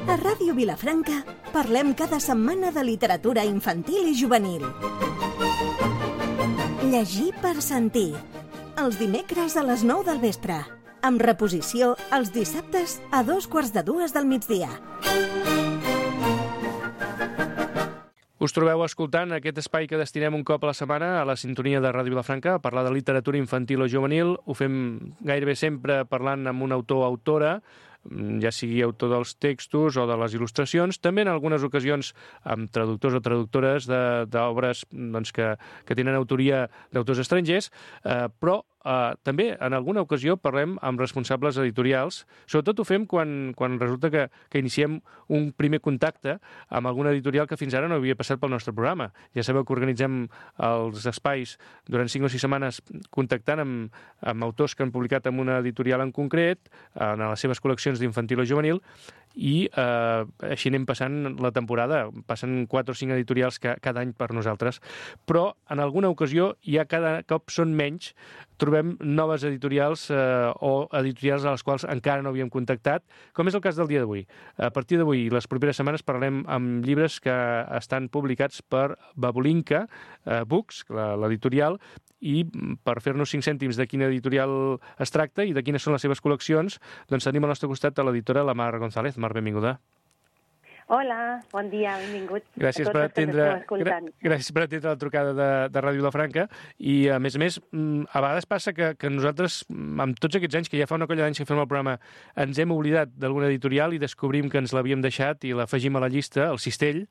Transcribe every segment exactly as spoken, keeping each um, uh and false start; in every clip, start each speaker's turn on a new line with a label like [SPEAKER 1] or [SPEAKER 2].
[SPEAKER 1] A Ràdio Vilafranca parlem cada setmana de literatura infantil i juvenil. Llegir per sentir. Els dimecres a les nou del vespre. Amb reposició els dissabtes a dos quarts de dues del migdia.
[SPEAKER 2] Us trobeu escoltant aquest espai que destinem un cop a la setmana a la sintonia de Ràdio Vilafranca a parlar de literatura infantil o juvenil. Ho fem gairebé sempre parlant amb un autor o autora, ja sigui autor dels textos o de les il·lustracions, també en algunes ocasions amb traductors o traductores d'obres doncs, que, que tenen autoria d'autors estrangers, eh, però eh, també en alguna ocasió parlem amb responsables editorials. Sobretot ho fem quan, quan resulta que, que iniciem un primer contacte amb alguna editorial que fins ara no havia passat pel nostre programa. Ja sabeu que organitzem els espais durant cinc o sis setmanes contactant amb, amb autors que han publicat en una editorial en concret, en les seves col·leccions d'infantil o juvenil, i eh, així anem passant la temporada. Passen quatre o cinc editorials ca, cada any per nosaltres, però en alguna ocasió ja cada cop són menys. Trobem noves editorials eh, o editorials a les quals encara no havíem contactat, com és el cas del dia d'avui. A partir d'avui i les properes setmanes parlarem amb llibres que estan publicats per Babulinka eh, Books, l'editorial, i per fer-nos cinc cèntims de quina editorial es tracta i de quines són les seves col·leccions, doncs tenim al nostre costat a l'editora la Mar González. Mar, benvinguda.
[SPEAKER 3] Hola, bon dia, benvinguts.
[SPEAKER 2] Gràcies per atendre, gràcies per atendre la trucada de, de Ràdio Vilafranca. I, a més a més, a vegades passa que, que nosaltres, amb tots aquests anys, que ja fa una colla d'anys que fem el programa, ens hem oblidat d'alguna editorial i descobrim que ens l'havíem deixat i l'afegim a la llista, al cistell,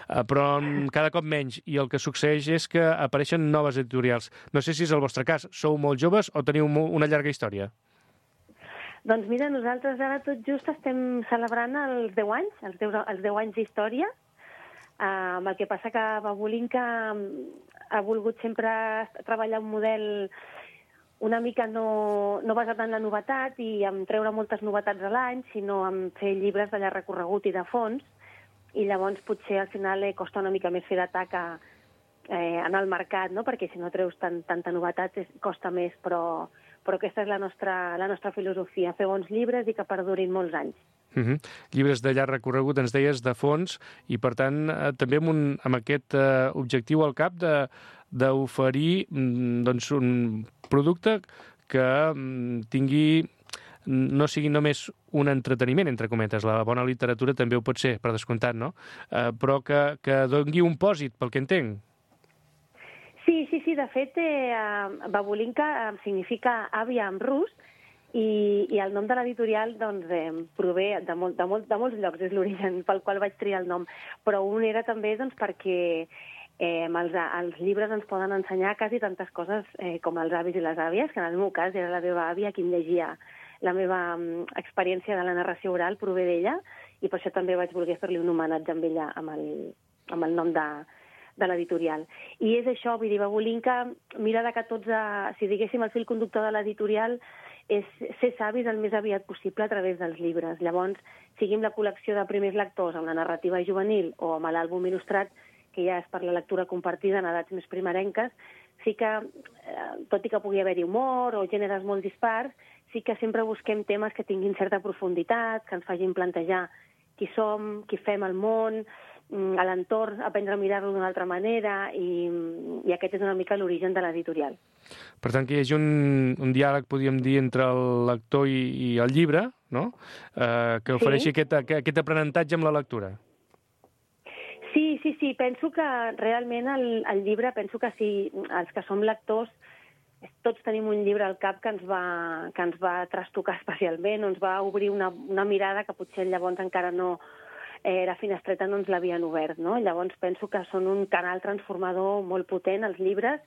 [SPEAKER 2] però cada cop menys. I el que succeeix és que apareixen noves editorials. No sé si és el vostre cas. Sou molt joves o teniu una llarga història?
[SPEAKER 3] Doncs mira, nosaltres ara tot just estem celebrant els deu anys, els deu, els deu anys d'història, uh, amb el que passa que Babulinka ha volgut sempre treballar un model una mica no, no basat en la novetat i en treure moltes novetats a l'any, sinó en fer llibres de llarg recorregut i de fons, i llavors potser al final eh, costa una mica més fer d'atac eh, en el mercat, no? Perquè si no treus tant, tanta novetat és, costa més, però... però aquesta és la nostra, la nostra filosofia, fer bons llibres i que perdurin molts anys.
[SPEAKER 2] Uh-huh. Llibres de llarg recorregut, ens deies, de fons, i per tant eh, també amb, un, amb aquest eh, objectiu al cap d'oferir doncs, un producte que mm, tingui, no sigui només un entreteniment, entre cometes, la bona literatura també ho pot ser, per descomptat, no? Eh, però que, que doni un pòsit, pel que entenc.
[SPEAKER 3] Sí, sí, sí, de fet, eh, Babulinka eh, significa àvia en rus i, i el nom de l'editorial doncs, eh, prové de, molt, de, molt, de molts llocs, és l'origen pel qual vaig triar el nom, però un era també doncs, perquè eh, els, els llibres ens poden ensenyar quasi tantes coses eh, com els avis i les àvies, que en el meu cas era la meva àvia qui em llegia. La meva um, experiència de la narració oral prové d'ella i per això també vaig voler fer-li un homenatge amb ella, amb el, amb el nom de de l'editorial. I és això, vull dir, Babulinka mira de que tots, a, si diguéssim, el fil conductor de l'editorial és ser savis el més aviat possible a través dels llibres. Llavors, siguin la col·lecció de primers lectors amb la narrativa juvenil o amb l'àlbum il·lustrat, que ja és per la lectura compartida en edats més primerenques, sí que, eh, tot i que pugui haver-hi humor o gèneres molt dispars, sí que sempre busquem temes que tinguin certa profunditat, que ens facin plantejar qui som, qui fem al món, a l'entorn, aprendre a mirar-lo d'una altra manera, i, i aquest és una mica l'origen de l'editorial.
[SPEAKER 2] Per tant, que hi hagi un, un diàleg, podríem dir, entre el lector i, i el llibre, no? Eh, que ofereixi sí. aquest, aquest aprenentatge amb la lectura.
[SPEAKER 3] Sí, sí, sí. Penso que realment el, el llibre, penso que si els que som lectors, tots tenim un llibre al cap que ens va, que ens va trastocar especialment, o ens va obrir una, una mirada que potser llavors encara no... Eh, la finestreta no ens l'havien obert, no? Llavors penso que són un canal transformador molt potent, els llibres,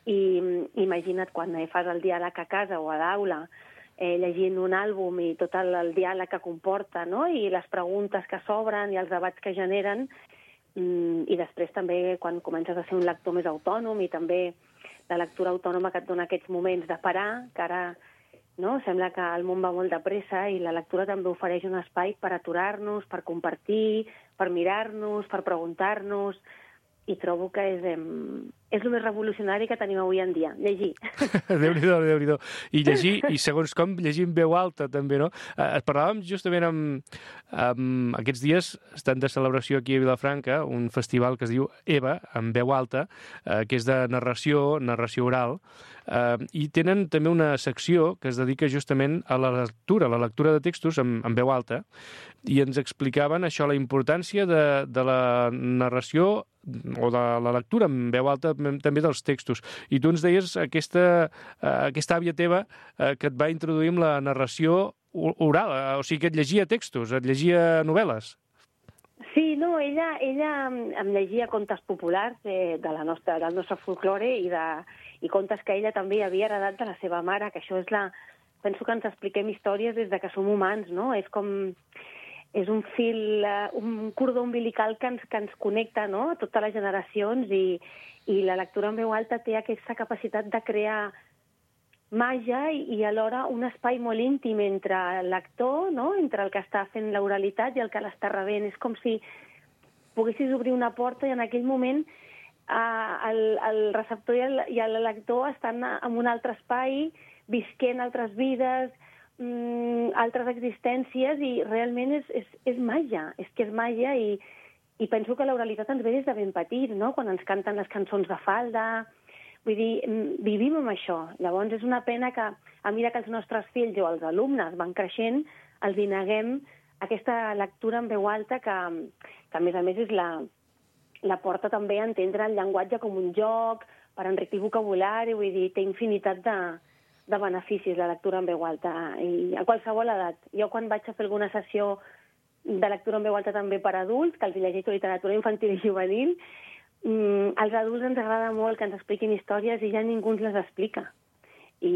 [SPEAKER 3] i imagina't quan eh, fas el diàleg a casa o a l'aula, eh, llegint un àlbum i tot el, el diàleg que comporta, no? I les preguntes que s'obren i els debats que generen, mm, i després també quan comences a ser un lector més autònom i també la lectura autònoma que et dona aquests moments de parar, que ara... No? Sembla que el món va molt de pressa i la lectura també ofereix un espai per aturar-nos, per compartir, per mirar-nos, per preguntar-nos, i trobo que és, és el més revolucionari que tenim avui en dia, llegir.
[SPEAKER 2] Déu-n'hi-do, Déu-n'hi-do. I llegir, i segons com, llegir en veu alta, també, no? Eh, parlàvem justament amb, amb... Aquests dies estan de celebració aquí a Vilafranca, un festival que es diu EVA, en veu alta, eh, que és de narració, narració oral, eh, i tenen també una secció que es dedica justament a la lectura, la lectura de textos en, en veu alta, i ens explicaven això, la importància de, de la narració o de la lectura en veu alta també dels textos. I tu ens deies aquesta, aquesta àvia teva que et va introduir amb la narració oral, o sigui que et llegia textos, et llegia novel·les.
[SPEAKER 3] Sí, no, ella, ella em llegia contes populars de, de la nostra, del nostre folklore i, de, i contes que ella també havia heredat de la seva mare, que això és la... Penso que ens expliquem històries des de que som humans, no? És com... és un fil, un cordó umbilical que ens, que ens connecta, no?, a totes les generacions, i, i la lectura en veu alta té aquesta capacitat de crear màgia i, i alhora un espai molt íntim entre el lector, no?, entre el que està fent l'oralitat i el que l'està rebent. És com si poguessis obrir una porta i en aquell moment eh, el, el receptor i el, i el lector estan en un altre espai, visquent altres vides, altres existències, i realment és, és, és màgia, és que és màgia, i, i penso que l'oralitat ens ve des de ben petit, no?, quan ens canten les cançons de falda, vull dir, vivim amb això. Llavors és una pena que a mesura que els nostres fills o els alumnes van creixent, els hi neguem aquesta lectura en veu alta que, que a més a més és la, la porta també a entendre el llenguatge com un joc, per enriquir vocabulari, vull dir, té infinitat de de beneficis la lectura en veu alta, i a qualsevol edat. Jo quan vaig a fer alguna sessió de lectura en veu alta també per adults, que els llegeixo literatura infantil i juvenil, mmm, als adults ens agrada molt que ens expliquin històries i ja ningú ens les explica. I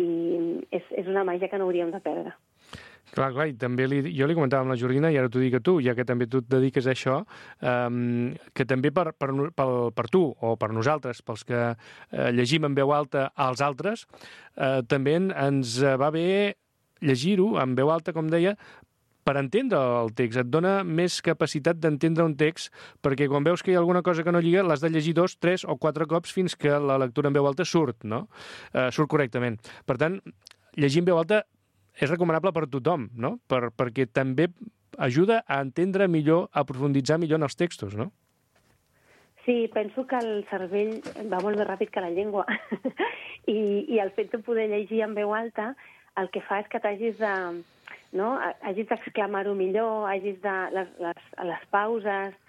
[SPEAKER 3] és, és una màgia que no hauríem de perdre.
[SPEAKER 2] Clar, clar, i també li, jo li comentava amb la Jordina, i ara t'ho dic a tu, ja que també tu et dediques a això, um, que també per, per, per, per tu, o per nosaltres, pels que uh, llegim en veu alta als altres, uh, també ens va bé llegir-ho en veu alta, com deia, per entendre el text. Et dona més capacitat d'entendre un text, perquè quan veus que hi ha alguna cosa que no lliga, l'has de llegir dos, tres o quatre cops fins que la lectura en veu alta surt, no? Uh, surt correctament. Per tant, llegir en veu alta és recomanable per tothom, no? Per, perquè també ajuda a entendre millor, a profunditzar millor en els textos, no?
[SPEAKER 3] Sí, penso que el cervell va molt més ràpid que la llengua. I, I el fet de poder llegir en veu alta el que fa és que t'hagis de, no? hagis d'exclamar-ho millor, hagis de... Les, les, les pauses,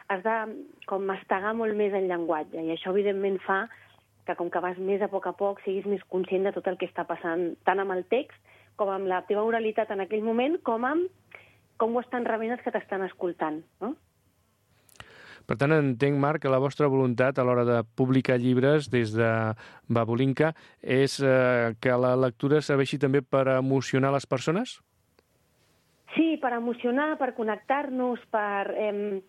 [SPEAKER 3] has de com mastegar molt més el llenguatge. I això, evidentment, fa que, com que vas més a poc a poc, siguis més conscient de tot el que està passant, tant amb el text com amb la teva oralitat en aquell moment, com amb com ho estan rebent els que t'estan escoltant, no?
[SPEAKER 2] Per tant, entenc, Marc, que la vostra voluntat a l'hora de publicar llibres des de Babulinka és eh, que la lectura serveixi també per emocionar les persones?
[SPEAKER 3] Sí, per emocionar, per connectar-nos, per... Eh,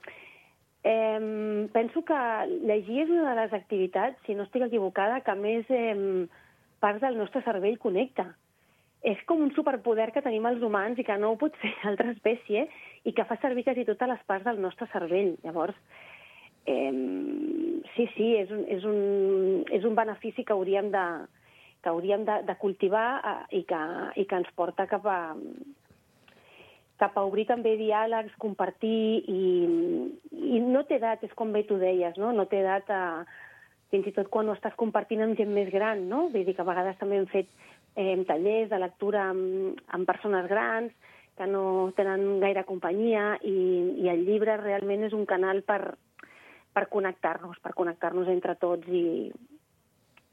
[SPEAKER 3] eh, penso que llegir és una de les activitats, si no estic equivocada, que més eh, parts del nostre cervell connecta. És com un superpoder que tenim els humans i que no ho pot fer altra espècie, i que fa servir quasi totes les parts del nostre cervell. Llavors, eh, sí, sí, és un, és, un, és un benefici que hauríem de, que hauríem de, de cultivar eh, i, que, i que ens porta cap a, cap a obrir també diàlegs, compartir, i, i no té edat, és com bé tu deies, no? No té edat a, fins i tot quan ho estàs compartint amb gent més gran, no? Vull dir que a vegades també hem fet eh, tallers de lectura amb, amb persones grans que no tenen gaire companyia, i, i el llibre realment és un canal per, per connectar-nos, per connectar-nos entre tots i,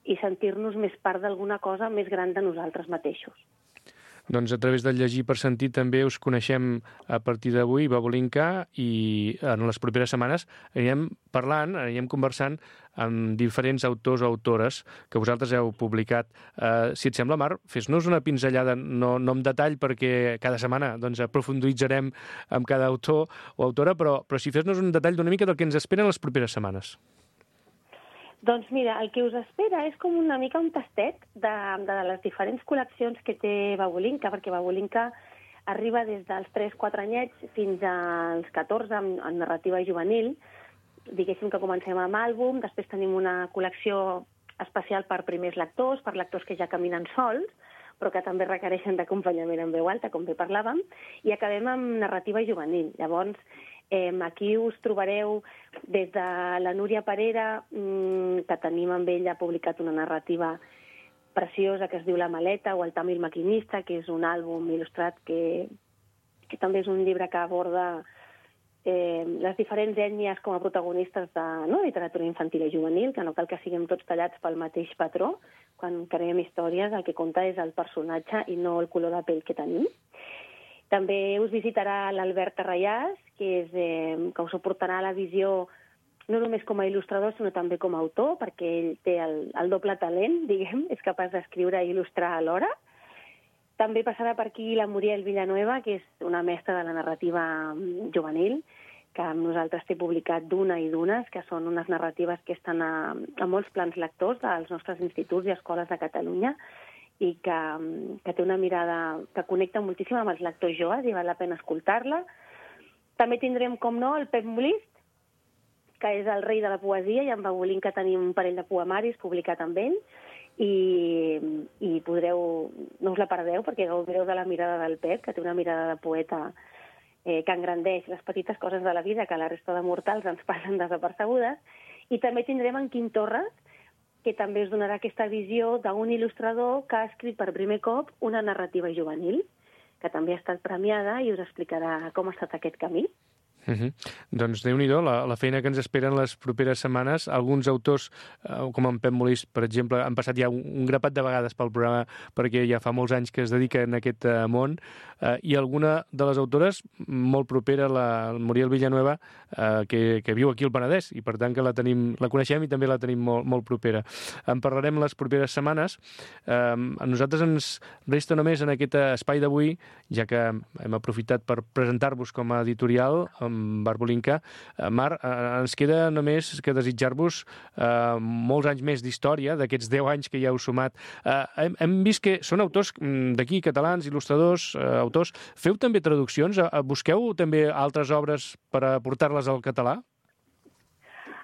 [SPEAKER 3] i sentir-nos més part d'alguna cosa més gran de nosaltres mateixos.
[SPEAKER 2] Doncs a través del Llegir per Sentir també us coneixem a partir d'avui, Babulinka, i en les properes setmanes anirem parlant, anirem conversant amb diferents autors o autores que vosaltres heu publicat. Uh, si et sembla, Marc, fes-nos una pinzellada, no, no en detall, perquè cada setmana doncs, aprofunditzarem amb cada autor o autora, però, però si fes-nos un detall d'una mica del que ens esperen les properes setmanes.
[SPEAKER 3] Doncs mira, el que us espera és com una mica un tastet de, de les diferents col·leccions que té Babulinka, perquè Babulinka arriba des dels tres quatre anyets fins als catorze en, en narrativa juvenil, diguéssim que comencem amb àlbum, després tenim una col·lecció especial per primers lectors, per lectors que ja caminen sols, però que també requereixen d'acompanyament en veu alta, com bé parlàvem, i acabem amb narrativa juvenil. Llavors, eh, aquí us trobareu des de la Núria Parera, mmm, que tenim amb ella publicat una narrativa preciosa que es diu La maleta, o El Tàmil maquinista, que és un àlbum il·lustrat que, que també és un llibre que aborda eh, les diferents ètnies com a protagonistes de no, literatura infantil i juvenil, que no cal que siguem tots tallats pel mateix patró. Quan creem històries, el que compta és el personatge i no el color de pell que tenim. També us visitarà l'Albert Arrayàs, que, és, eh, que us suportarà la visió no només com a il·lustrador, sinó també com a autor, perquè ell té el, el doble talent, diguem, és capaç d'escriure i il·lustrar alhora. També passarà per aquí la Muriel Villanueva, que és una mestra de la narrativa juvenil, que amb nosaltres té publicat Duna i Dunes, que són unes narratives que estan a, a molts plans lectors dels nostres instituts i escoles de Catalunya, i que, que té una mirada que connecta moltíssim amb els lectors joves i val la pena escoltar-la. També tindrem, com no, el Pep Molist, que és el rei de la poesia, i amb Babolín que tenim un parell de poemaris publicat amb ell, i, i podreu, no us la perdeu, perquè gaudireu de la mirada del Pep, que té una mirada de poeta eh, que engrandeix les petites coses de la vida que la resta de mortals ens passen desapercebudes. I també tindrem en Quim Torres, que també us donarà aquesta visió d'un il·lustrador que ha escrit per primer cop una narrativa juvenil, que també ha estat premiada i us explicarà com ha estat aquest camí.
[SPEAKER 2] Uh -huh. Doncs Déu-n'hi-do, la, la feina que ens esperen les properes setmanes. Alguns autors, eh, com en Pep Molist, per exemple, han passat ja un, un grapat de vegades pel programa perquè ja fa molts anys que es dediquen a aquest eh, món, eh, i alguna de les autores molt propera, la Muriel Villanueva, eh, que, que viu aquí al Penedès, i per tant que la tenim, la coneixem i també la tenim molt, molt propera. En parlarem les properes setmanes. Eh, a nosaltres ens resta només en aquest espai d'avui, ja que hem aprofitat per presentar-vos com a editorial, amb Barbolinka. Mar, eh, ens queda només que desitjar-vos eh, molts anys més d'història, d'aquests deu anys que ja heu sumat. Eh, hem, hem vist que són autors d'aquí, catalans, il·lustradors, eh, autors. Feu també traduccions? Eh, busqueu també altres obres per a portar-les al català?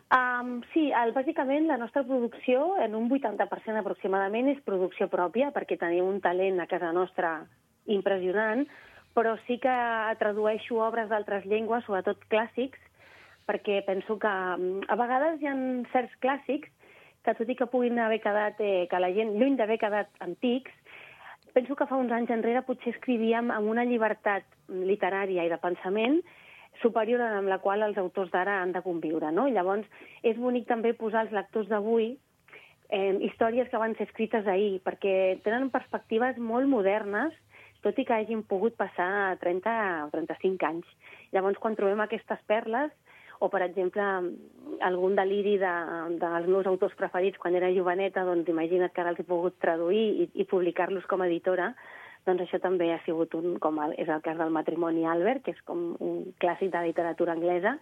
[SPEAKER 3] Um, sí, el, bàsicament la nostra producció, en un vuitanta per cent aproximadament, és producció pròpia, perquè tenim un talent a casa nostra impressionant, però sí que tradueixo obres d'altres llengües, sobretot clàssics, perquè penso que a vegades hi ha certs clàssics que, tot i que puguin haver quedat, eh, que la gent, lluny d'haver quedat antics, penso que fa uns anys enrere potser escrivíem amb una llibertat literària i de pensament superior amb la qual els autors d'ara han de conviure, no? I llavors és bonic també posar als lectors d'avui eh, històries que van ser escrites ahir, perquè tenen perspectives molt modernes, tot i que hagin pogut passar trenta o trenta-cinc anys. Llavors, quan trobem aquestes perles, o, per exemple, algun deliri de, dels meus autors preferits quan era joveneta, doncs imagina't que ara els he pogut traduir i, i publicar-los com a editora, doncs això també ha sigut un, com el, és el cas del Matrimoni Albert, que és com un clàssic de literatura anglesa,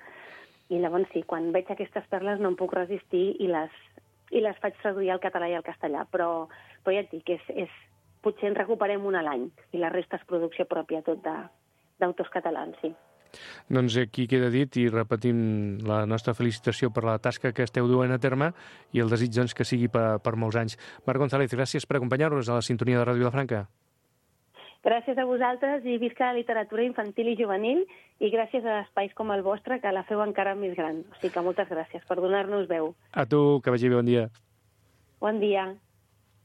[SPEAKER 3] i llavors sí, quan veig aquestes perles no em puc resistir i les, i les faig traduir al català i al castellà, però, però ja et dic, és, és potser en recuperem una a l'any, i la resta és producció pròpia tot d'autors catalans, sí.
[SPEAKER 2] Doncs aquí queda dit, i repetim la nostra felicitació per la tasca que esteu duent a terme i el desig doncs, que sigui per, per molts anys. Marc González, gràcies per acompanyar-nos a la sintonia de Ràdio Vilafranca.
[SPEAKER 3] Gràcies a vosaltres i visca la literatura infantil i juvenil, i gràcies a espais com el vostre, que la feu encara més gran. O sigui que moltes gràcies per donar-nos veu.
[SPEAKER 2] A tu, que vagi bé, bon dia.
[SPEAKER 3] Bon dia.